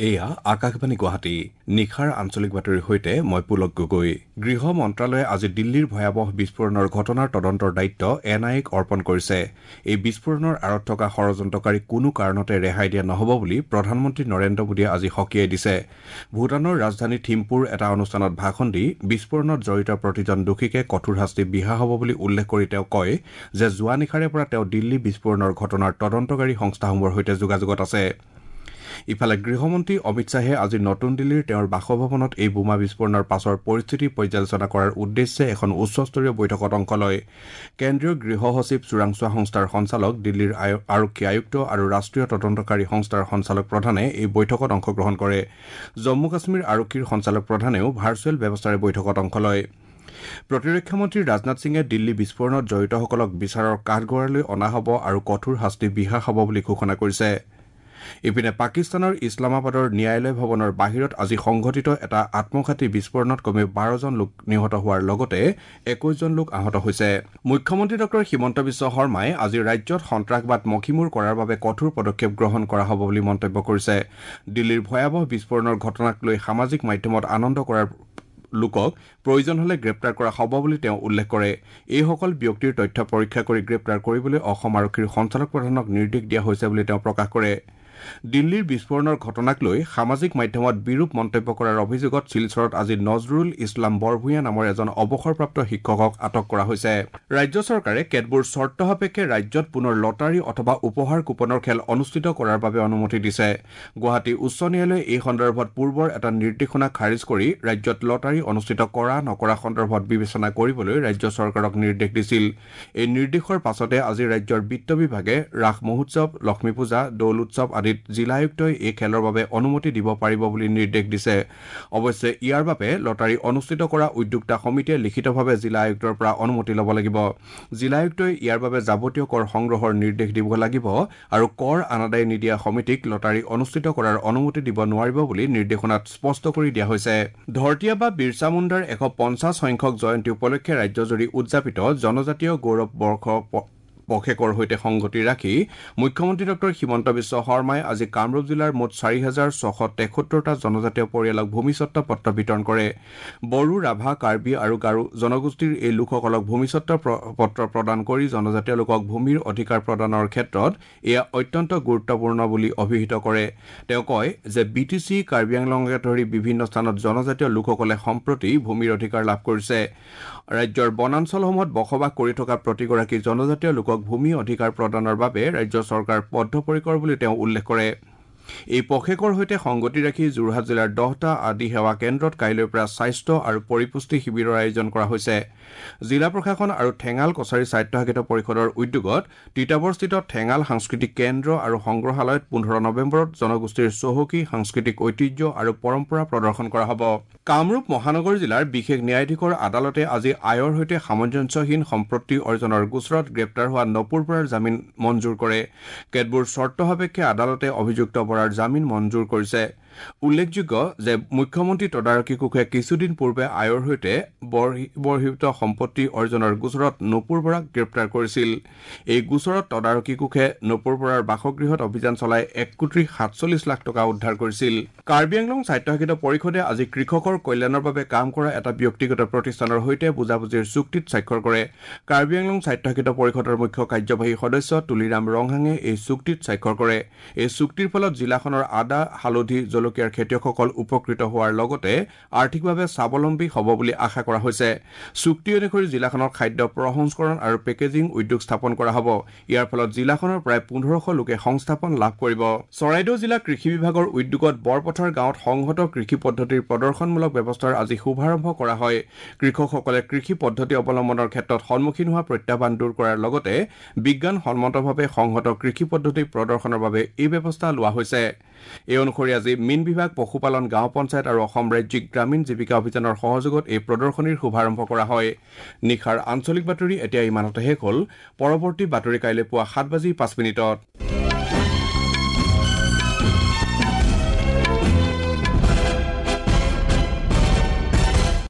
এয়া আকাশবাণী গুৱাহাটী। নিশাৰ আঞ্চলিক বাতৰিৰ সৈতে মই পুলক গগৈ। গৃহ মন্ত্ৰালয়ে আজি দিল্লীৰ ভয়াৱহ বিস্ফোৰণৰ ঘটনাৰ তদন্তৰ দায়িত্ব এন আই এক অৰ্পণ কৰিছে। এই বিস্ফোৰণৰ আঁৰত থকা ষড়যন্ত্ৰকাৰীক কোনো কাৰণতে ৰেহাই দিয়া নহ'ব বুলি প্ৰধানমন্ত্ৰী নৰেন্দ্ৰ মোদীয়ে আজি সকীয়াই দিছে। ভূটানৰ ৰাজধানী থিম্পুৰ এটা অনুষ্ঠানত ভাষণ দি বিস্ফোৰণত জড়িত প্ৰতিজন দোষীকে কঠোৰ শাস্তি বিহা হ'ব বুলি উল্লেখ কৰি তেওঁ কয় যে যোৱা নিশাৰে পৰা তেওঁ দিল্লী বিস্ফোৰণৰ ঘটনাৰ তদন্তকাৰী সংস্থাসমূহৰ সৈতে যোগাযোগত আছে। ইফালে গৃহমন্ত্ৰী অমিত শ্বাহে আজি নতুন দিল্লীৰ তেওঁৰ বাসভৱনত এই বোমা বিস্ফোৰণৰ পাছৰ পৰিস্থিতি পৰ্যালোচনা কৰাৰ উদ্দেশ্যে এখন উচ্চস্তৰীয় বৈঠকত অংশ লয়। কেন্দ্ৰীয় গৃহ সচিব, চোৰাংচোৱা সংস্থাৰ সঞ্চালক, দিল্লীৰ আৰক্ষী আয়ুক্ত আৰু ৰাষ্ট্ৰীয় তদন্তকাৰী সংস্থাৰ সঞ্চালক প্ৰধানে এই বৈঠকত অংশগ্ৰহণ কৰে। জম্মু কাশ্মীৰ আৰক্ষীৰ সঞ্চালক প্ৰধানেও ভাৰ্চুৱেল ব্যৱস্থাৰে বৈঠকত অংশ লয়। প্ৰতিৰক্ষা মন্ত্ৰী ৰাজনাথ সিঙে দিল্লী বিস্ফোৰণত জড়িতসকলক বিচাৰৰ কাঠগড়ালৈ অনা হ'ব আৰু কঠোৰ শাস্তি বিহা হ'ব বুলি ঘোষণা কৰিছে। ইপিনে পাকিস্তানৰ ইছলামাবাদৰ ন্যায়ালয় ভৱনৰ বাহিৰত আজি সংঘটিত এটা আত্মঘাতী বিস্ফোৰণত কমেও 12জন লোক নিহত হোৱাৰ লগতে 21জন লোক আহত হৈছে। মুখ্যমন্ত্ৰী ডঃ হিমন্ত বিশ্ব শৰ্মাই আজি ৰাজ্যত সন্ত্ৰাসবাদ মষিমূৰ কৰাৰ বাবে কঠোৰ পদক্ষেপ গ্ৰহণ কৰা হ'ব বুলি মন্তব্য কৰিছে। দিল্লীৰ ভয়াৱহ বিস্ফোৰণৰ ঘটনাক লৈ সামাজিক মাধ্যমত আনন্দ কৰাৰ লোকক প্ৰয়োজন হলে গ্ৰেপ্তাৰ কৰা হ'ব বুলি তেওঁ উল্লেখ কৰে। এইসকল ব্যক্তিৰ তথ্য পৰীক্ষা কৰি গ্ৰেপ্তাৰ কৰিবলৈ অসম আৰক্ষীৰ সঞ্চালক প্ৰধানক নিৰ্দেশ দিয়া হৈছে বুলি তেওঁ প্ৰকাশ কৰে। দিল্লীৰ বিস্ফোৰণৰ ঘটনাক লৈ সামাজিক মাধ্যমত বিৰূপ মন্তব্য কৰাৰ অভিযোগত শিলচৰত আজি নজৰুল ইছলাম বৰভূঞা নামৰ এজন অৱসৰপ্ৰাপ্ত শিক্ষকক আটক কৰা হৈছে। ৰাজ্য চৰকাৰে কেতবোৰ চৰ্ত সাপেক্ষে ৰাজ্যত পুনৰ লটাৰী অথবা উপহাৰ কুপনৰ খেল অনুষ্ঠিত কৰাৰ বাবে অনুমতি দিছে। গুৱাহাটী উচ্চ ন্যায়ালয়ে এই সন্দৰ্ভত পূৰ্বৰ এটা নিৰ্দেশনা খাৰিজ কৰি ৰাজ্যত লটাৰী অনুষ্ঠিত কৰা নকৰা সন্দৰ্ভত বিবেচনা কৰিবলৈ ৰাজ্য চৰকাৰক নিৰ্দেশ দিছিল। এই নিৰ্দেশৰ পাছতে আজি ৰাজ্যৰ বিত্ত বিভাগে ৰাস মহোৎসৱ, লক্ষ্মী পূজা, দৌল উৎসৱ আদিত জিলা আয়ুক্তই এই খেলৰ বাবে অনুমতি দিব পাৰিব বুলি নিৰ্দেশ দিছে। অৱশ্যে ইয়াৰ বাবে লটাৰী অনুষ্ঠিত কৰা উদ্যোক্তা সমিতিয়ে লিখিতভাৱে জিলা আয়ুক্তৰ পৰা অনুমতি ল'ব লাগিব। জিলা আয়ুক্তই ইয়াৰ বাবে যাৱতীয় কৰ সংগ্ৰহৰ নিৰ্দেশ দিব লাগিব আৰু কৰ আনাদায় নিদিয়া সমিতিক লটাৰী অনুষ্ঠিত কৰাৰ অনুমতি দিব নোৱাৰিব বুলি নিৰ্দেশনাত স্পষ্ট কৰি দিয়া হৈছে। ধৰতীয়া বা বিৰচা মুণ্ডাৰ 150 সংখ্যক জয়ন্তী উপলক্ষে ৰাজ্যজুৰি উদযাপিত জনজাতীয় গৌৰৱ বৰ্ষ পষেকৰ সৈতে সংগতি ৰাখি মুখ্যমন্ত্ৰী ডঃ হিমন্ত বিশ্ব শৰ্মাই আজি কামৰূপ জিলাৰ মুঠ 4673টা জনজাতীয় পৰিয়ালক ভূমিস্বত্ব পত্ৰ বিতৰণ কৰে। বড়ো, ৰাভা, কাৰ্বি আৰু গাৰো জনগোষ্ঠীৰ এই লোকসকলক ভূমিস্বত্ব পত্ৰ প্ৰদান কৰি জনজাতীয় লোকক ভূমিৰ অধিকাৰ প্ৰদানৰ ক্ষেত্ৰত এয়া অত্যন্ত গুৰুত্বপূৰ্ণ বুলি অভিহিত কৰে। তেওঁ কয় যে বি টি চি, কাৰ্বি আংলঙকে ধৰি বিভিন্ন স্থানত জনজাতীয় লোকসকলে সম্প্ৰতি ভূমিৰ অধিকাৰ লাভ কৰিছে। ৰাজ্যৰ বনাঞ্চলসমূহত বসবাস কৰি থকা প্ৰতিগৰাকী জনজাতীয় লোকক ভূমি অধিকাৰ প্ৰদানৰ বাবে ৰাজ্য চৰকাৰ বদ্ধপৰিকৰ বুলি তেওঁ উল্লেখ কৰে। এই পষেকৰ সৈতে সংগতি ৰাখি যোৰহাট জিলাৰ 10টা আদি সেৱা কেন্দ্ৰত কাইলৈৰ পৰা স্বাস্থ্য আৰু পৰিপুষ্টি শিবিৰৰ আয়োজন কৰা হৈছে। জিলা প্ৰশাসন আৰু ঠেঙাল কছাৰী স্বায়ত্তশাসিত পৰিষদৰ উদ্যোগত তিতাবৰস্থিত ঠেঙাল সাংস্কৃতিক কেন্দ্ৰ আৰু সংগ্ৰহালয়ত 15 নৱেম্বৰত জনগোষ্ঠীৰ চহকী সাংস্কৃতিক ঐতিহ্য আৰু পৰম্পৰা প্ৰদৰ্শন কৰা হ'ব। কামৰূপ মহানগৰ জিলাৰ বিশেষ ন্যায়াধীশৰ আদালতে আজি আয়ৰ সৈতে সামঞ্জস্যহীন সম্পত্তি অৰ্জনৰ গোচৰত গ্ৰেপ্তাৰ হোৱা নপুৰ বৰাৰ জামিন মঞ্জুৰ কৰে। কেতবোৰ চৰ্ত সাপেক্ষে আদালতে অভিযুক্ত বৰাৰ জামিন মঞ্জুৰ কৰিছে। উল্লেখযোগ্য যে মুখ্যমন্ত্ৰী তদাৰকী কোষে কিছুদিন পূৰ্বে আয়ৰ সৈতে বৰ্হিভূত সম্পত্তি অৰ্জনৰ গোচৰত নপুৰ বৰাক গ্ৰেপ্তাৰ কৰিছিল। এই গোচৰত তদাৰকী কোষে নপুৰ বৰাৰ বাসগৃহত অভিযান চলাই 1,47,00,000 টকা উদ্ধাৰ কৰিছিল। কাৰ্বি আংলং স্বায়ত্তশাসিত পৰিষদে আজি কৃষকৰ কল্যাণৰ বাবে কাম কৰা এটা ব্যক্তিগত প্ৰতিষ্ঠানৰ সৈতে বুজাবুজিৰ চুক্তিত স্বাক্ষৰ কৰে। কাৰ্বি আংলং স্বায়ত্তশাসিত পৰিষদৰ মুখ্য কাৰ্যবাহী সদস্য তুলিৰাম ৰংহাঙে এই চুক্তিত স্বাক্ষৰ কৰে। এই চুক্তিৰ ফলত জিলাখনৰ আদা, হালধি, জলকীয়াৰ খেতিয়কসকল উপকৃত হোৱাৰ লগতে আৰ্থিকভাৱে স্বাৱলম্বী হ'ব বুলি আশা কৰা হৈছে। চুক্তি অনুসৰি জিলাখনৰ খাদ্য প্ৰসংস্কৰণ আৰু পেকেজিং উদ্যোগ স্থাপন কৰা হ'ব। ইয়াৰ ফলত জিলাখনৰ প্ৰায় 1500 লোকে সংস্থাপন লাভ কৰিব। চৰাইদেউ জিলা কৃষি বিভাগৰ উদ্যোগত বৰপথাৰ গাঁৱত সংহত কৃষি পদ্ধতিৰ প্ৰদৰ্শনমূলক ব্যৱস্থাৰ আজি শুভাৰম্ভ কৰা হয়। কৃষকসকলে কৃষি পদ্ধতি অৱলম্বনৰ ক্ষেত্ৰত সন্মুখীন হোৱা প্ৰত্যাহ্বান দূৰ কৰাৰ লগতে বিজ্ঞানসন্মতভাৱে সংহত কৃষি পদ্ধতি প্ৰদৰ্শনৰ বাবে এই ব্যৱস্থা লোৱা হৈছে। এই অনুসৰি আজি মীন বিভাগ, পশুপালন, গাঁও পঞ্চায়ত আৰু অসম ৰাজ্যিক গ্ৰামীণ জীৱিকা অভিযানৰ সহযোগত এই প্ৰদৰ্শনীৰ শুভাৰম্ভ কৰা হয়। নিশাৰ আঞ্চলিক বাতৰি এতিয়া ইমানতে শেষ হ'ল। পৰৱৰ্তী বাতৰি কাইলৈ পুৱা 7:05।